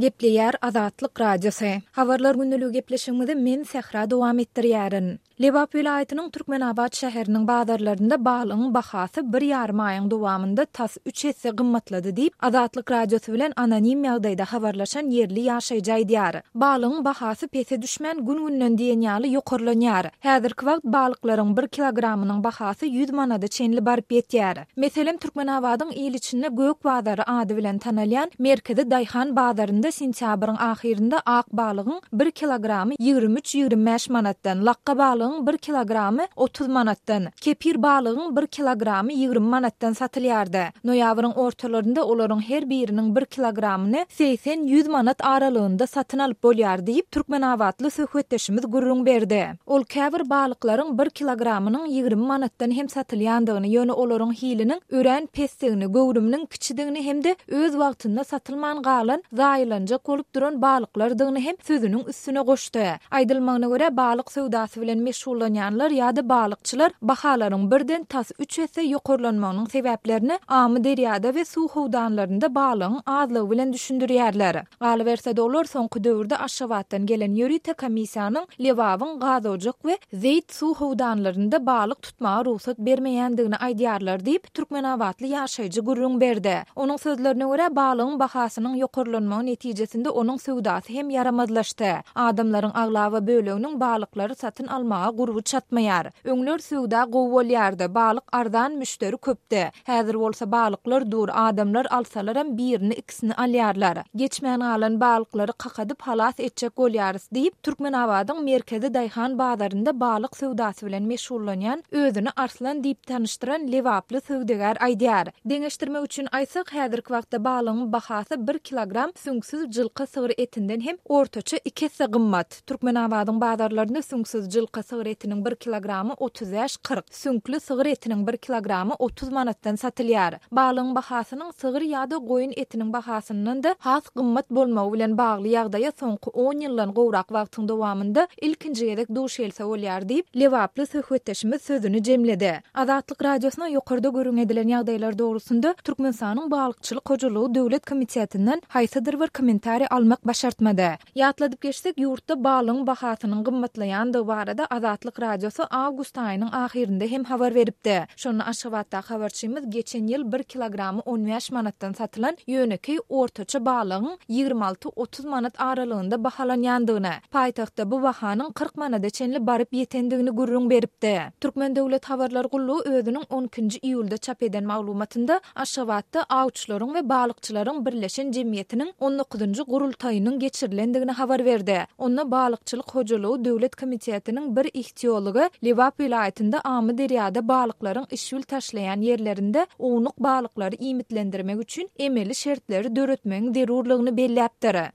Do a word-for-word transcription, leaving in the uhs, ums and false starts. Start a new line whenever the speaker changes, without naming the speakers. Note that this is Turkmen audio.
Gepleýär Azatlyk Radiosy. Habarlar gündeligi gepleşigimizi men Sähra dowam etdirýärin. Lebap welaýatynyň Türkmenabat şäheriniň bazarlarynda balygyň bahasy bir ýarym aýyň dowamynda tas üç esse gymmatlady diýip, Azatlyk Radiosy bilen anonim ýagdaýda habarlaşan ýerli ýaşaýjy aýdýar. Balygyň bahasy pese düşmän gün-günden diýen ýaly ýokarlanýar. Häzirki wagt balyklaryň bir kilogramynyň bahasy ýüz manada çenli baryp ýetýär. Meselem, Türkmenabadyň il içinde Gök bazary ady bilen tanalýan merkezi daýhan bazarynda sentýabryň ahyrynda ak balygyň bir kilogramy ýigrimi üç-ýigrimi bäş manatdan, lakga balygyň bir kilogramy otuz manatdan, kepir balygyň bir kilogramy ýigrimi manatdan satylýardy. Noýabryň ortalarynda olaryň her biriniň bir kilogramyny segsen-ýüz manat aralygynda satyn alyp bolýar diýip, türkmenabatly söhbetdeşimiz gürrüň berdi. Ol käbir balyklaryň bir kilogramynyň ýigrimi manatdan hem satylýandygyny, ýöne olaryň hiliniň örän pesdigini, göwrüminiň kiçidigini hem-de öz wagtynda satylman galan, zaýalanjak bolup duran balyklardygyny hem sözüniň üstüne goşdy. Aýdylmagyna görä, balyk söwdasy bilen meşgullanýanlar ýa-da balykçylar bahalaryň birden tas üç esse ýokarlanmagynyň sebäplerini Amyderýada we suw howdanlarynda balygyň azlygy bilen düşündirýärler. Galyberse-de, olar soňky döwürde Aşgabatdan gelen ýörite komissiýanyň Lebabyň Gazojak we Zeýt suw howdanlarynda balyk tutmaga rugsat bermeýändigini aýdýarlar diýip, türkmenabatly ýaşaýjy gürrüň berdi. Onuň sözlerine görä, balygyň bahasynyň ýokarlanmagy netijesinde onuň söwdasy hem ýaramazlaşdy. Adamlaryň aglaba böleginiň balyklary satyn almaga gurby çatmaýar. Öňler söwda gowy bolýardy, balyk arzan, müşderi köpdi. Häzir bolsa balyklar dur, adamlar alsalaram birini-ikisini alýarlar. Geçmän galan balyklary kakadyp halas etjek bolýarys diýip, Türkmenabadyň merkezi daýhan bazarynda balyk söwdasy bilen meşgullanýan, özüni Arslan diýip tanyşdyran lebaply söwdagär aýdýar. Deňeşdirmek üçin aýtsak, häzirki wagtda balygyň bahasy bir kilogram süňksüz jylka sygyr etinden hem ortaça iki esse gymmat. Türkmenabadyň bazarlarynda süňksüz jylka sygyr etiniň bir kilogramy otuz bäş-kyrk, süňkli sygyr etiniň bir kilogramy otuz manatdan satylýar. Balygyň bahasynyň sygyr ýa-da goýun etiniň bahasyndan-da has gymmat bolmagy bilen bagly ýagdaýa soňky on ýyldan gowrak wagtyň dowamynda ilkinji gezek duş gelse bolýar diýip, lebaply söhbetdeşimiz sözüni jemledi. Azatlyk Radiosyna ýokarda gürrüň edilen ýagdaýlar dogrusynda Türkmenistanyň Balykçylyk hojalygy döwlet komitetinden haýsydyr bir kommentariý almak başartmady. Ýatladyp geçsek, ýurtda balygyň bahasynyň gymmatlaýandygy barada Azatlyk Radiosy awgust aýynyň ahyrynda hem habar beripdi. Şonda Aşgabatdaky habarçymyz geçen ýyl bir kilogramy on bäş manatdan satylan ýönekeý ortaça balygyň ýigrimi alty-otuz manat aralygynda bahalanýandygyny, paýtagtda bu bahanyň kyrk manada çenli baryp ýetendigini gürrüň beripdi. Türkmen döwlet habarlar gullugy özüniň on ikinji iýulda çap eden maglumatynda Aşgabatda awçylaryň we balykçylaryň birleşen jemgyýetiniň on dokuzynjy gurultaýynyň geçirilendigini habar berdi. Onda Balykçylyk hojalygy döwlet komitetiniň bir ihtiology Lebap welaýatynda Amyderýada balyklaryň işbil taşlaýan ýerlerinde ownuk balyklary iýmitlendirmek üçin emeli şertleri döretmegiň zerurlygyny belläpdir.